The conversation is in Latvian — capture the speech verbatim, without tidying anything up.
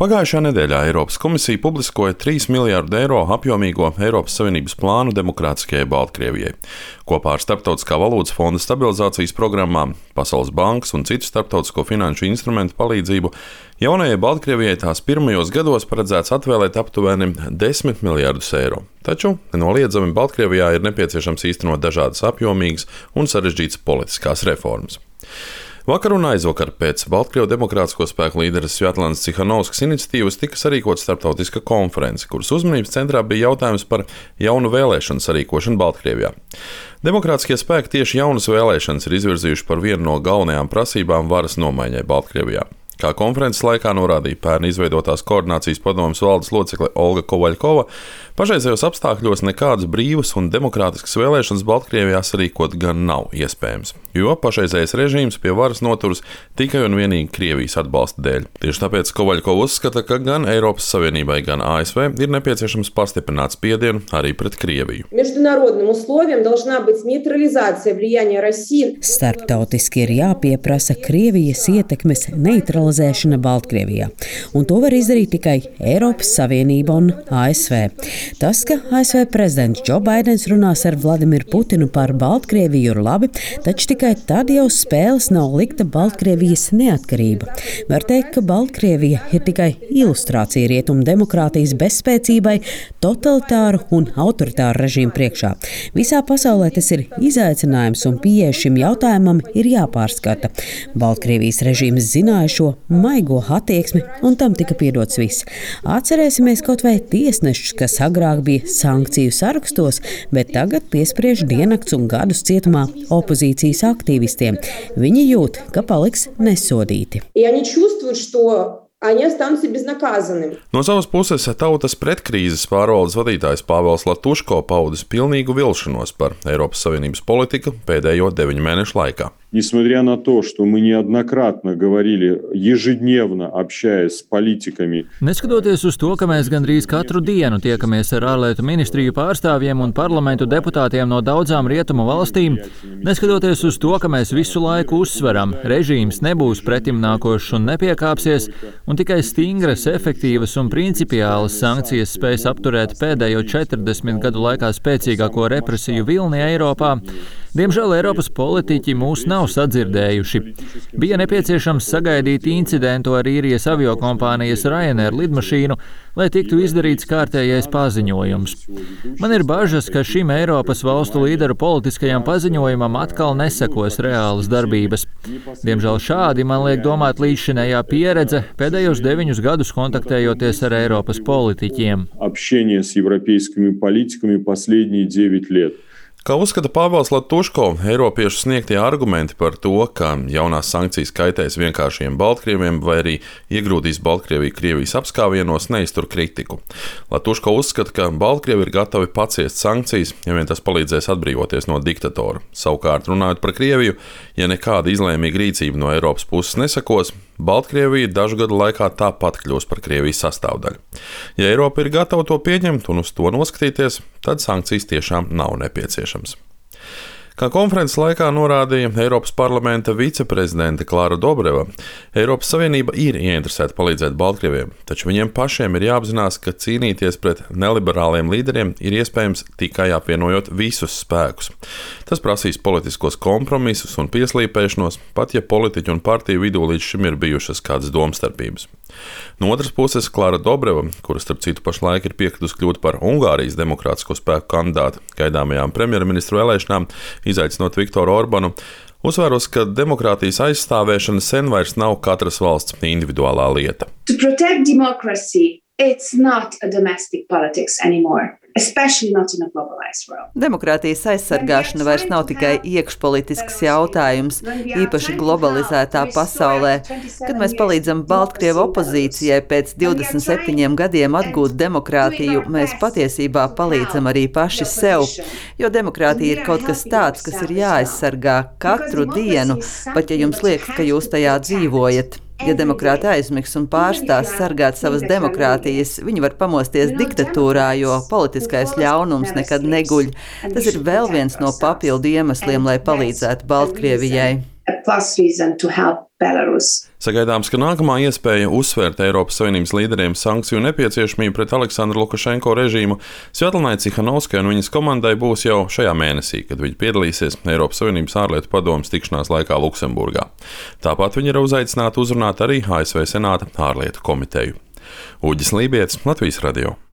Pagājušajā nedēļā Eiropas komisija publiskoja trīs miljārdu eiro apjomīgo Eiropas Savienības plānu demokrātiskajai Baltkrievijai. Kopā ar Starptautiskā valūtas fonda stabilizācijas programmām, Pasaules bankas un citu starptautisko finanšu instrumentu palīdzību jaunajai Baltkrievijai tās pirmajos gados paredzēts atvēlēt aptuveni desmit miljārdus eiro. Taču nenoliedzami Baltkrievijā ir nepieciešams īstenot dažādas apjomīgas un sarežģītas politiskās reformas. Vakar un aizvakar pēc Baltkrievu demokrātisko spēku līderes Svjatlanas Cihanovskas iniciatīvas tika sarīkota starptautiska konference, kuras uzmanības centrā bija jautājums par jaunu vēlēšanu sarīkošanu Baltkrievijā. Demokrātiskie spēki tieši jaunas vēlēšanas ir izvirzījuši par vienu no galvenajām prasībām varas nomaiņai Baltkrievijā. Kā konferences laikā norādīja pērn izveidotās koordinācijas padomes valdes locekle Olga Kovaļkova, pašreizējos apstākļos nekādas brīvas un demokrātiskas vēlēšanas Baltkrievijā sarīkot gan nav iespējams, jo pašreizējais režīms pie varas noturas tikai un vienīgi Krievijas atbalsta dēļ. Tieši tāpēc Kovaļkova uzskata, ka gan Eiropas Savienībai, gan A S V ir nepieciešams pastiprināt spiedienu arī pret Krieviju. Starptautiski ir jāpieprasa Krievijas ietekmes neutralizēšana Baltkrievijā, un to var izdarīt tikai Eiropas Savienība un A S V. Tas, ka A S V prezidents Džo Baidens runās ar Vladimiru Putinu par Baltkrieviju ir labi, taču tikai tad jau spēles nav likta Baltkrievijas neatkarība. Var teikt, ka Baltkrievija ir tikai ilustrācija rietumu demokrātijas bezspēcībai, totalitāru un autoritāru režīmu priekšā. Visā pasaulē tas ir izaicinājums un pieeja šim jautājumam ir jāpārskata. Baltkrievijas režīms zināja šo maigo attieksmi un tam tika piedots viss. Atcerēsimies kaut vai tiesnešus, kas agrāk bija sankciju sarakstos, bet tagad piespriež diennakts un gadus cietumā opozīcijas aktīvistiem. Viņi jūt, ka paliks nesodīti. No savas puses Tautas pretkrīzes pārvaldes vadītājs Pāvels Latuško paudis pilnīgu vilšanos par Eiropas Savienības politiku pēdējo deviņu mēnešu laikā. Несмотря на то, что мы неоднократно говорили, ежедневно общаясь с политиками. Neskatoties uz to, ka mēs gandrīz katru dienu tiekamies ar ārlietu ministriju pārstāvjiem un parlamentu deputātiem no daudzām rietumu valstīm, neskatoties uz to, ka mēs visu laiku uzsveram, režīms nebūs pretimnākošs un nepiekāpsies, un tikai stingras, efektīvas un principiālas sankcijas spēs apturēt pēdējo četrdesmit gadu laikā spēcīgāko represiju vilni Eiropā, diemžēl Eiropas politiķi mūs nav sadzirdējuši. Bija nepieciešams sagaidīt incidentu ar īrijas aviokompānijas Ryanair lidmašīnu, lai tiktu izdarīts kārtējais paziņojums. Man ir bažas, ka šim Eiropas valstu līderu politiskajam paziņojumam atkal nesekos reālas darbības. Diemžēl šādi man liek domāt līdzšinējā pieredze pēdējos deviņus gadus kontaktējoties ar Eiropas politiķiem. Общение с европейскими политиками последние девять лет. Kā uzskata Pāvels Latuško, Eiropiešu sniegtie argumenti par to, ka jaunās sankcijas kaitēs vienkāršiem Baltkrieviem vai arī iegrūdīs Baltkrieviju Krievijas apskāvienos, neiztur kritiku. Latuško uzskata, ka Baltkrievi ir gatavi paciest sankcijas, ja vien tas palīdzēs atbrīvoties no diktatora. Savukārt, runājot par Krieviju, ja nekāda izlēmīga rīcība no Eiropas puses nesakos, Baltkrievija dažu gadu laikā tāpat kļūs par Krievijas sastāvdaļu. Ja Eiropa ir gatava to pieņemt un uz to noskatīties, tad sankcijas tiešām nav nepieciešams. Kā konferences laikā norādīja Eiropas parlamenta viceprezidente Klara Dobreva, Eiropas Savienība ir ieinteresēta palīdzēt Baltkrieviem, taču viņiem pašiem ir jāapzinās, ka cīnīties pret neliberāliem līderiem ir iespējams tikai apvienojot visus spēkus. Tas prasīs politiskos kompromisus un pieslīpēšanos, pat ja politiķu un partiju vidū līdz šim ir bijušas kādas domstarpības. No otras puses, Klara Dobreva, kura starp citu pašlaik ir piekritusi kļūt par Ungārijas demokrātisko spēku kandidāti gaidāmajām premjerministru vēlēšanām, izaicinot Viktoru Orbanu, uzsvēros, ka demokrātijas aizstāvēšana sen vairs nav katras valsts individuālā lieta. To protect democracy, it's not a domestic politics anymore. Especially not in a globalized world. Demokrātijas aizsargāšana vairs nav tikai iekšpolitisks jautājums, īpaši globalizētā pasaulē. Kad mēs palīdzam Baltkrievu opozīcijai pēc divdesmit septiņiem gadiem atgūt demokrātiju, mēs patiesībā palīdzam arī paši sev, jo demokrātija ir kaut kas tāds, kas ir jāaizsargā katru dienu, pat ja jums liekas, ka jūs tajā dzīvojat. Ja demokrāti aizmigs un pārstās sargāt savas demokrātijas, viņi var pamosties diktatūrā, jo politiskais ļaunums nekad neguļ. Tas ir vēl viens no papildu iemesliem, lai palīdzētu Baltkrievijai. a plus reason to help Belarus. Sagaidāms, ka nākamā iespēja uzsvērt Eiropas Savienības līderiem sankciju nepieciešamību pret Aleksandru Lukašenko režīmu Sviatlanai Cihanovskai un viņas komandai būs jau šajā mēnesī, kad viņi piedalīsies Eiropas Savienības ārlietu padomes tikšanās laikā Luksemburgā. Tāpat viņi ir uzaicināti uzrunāt arī A S V Senāta ārlietu komiteju. Uģis Lībietis, Latvijas radio.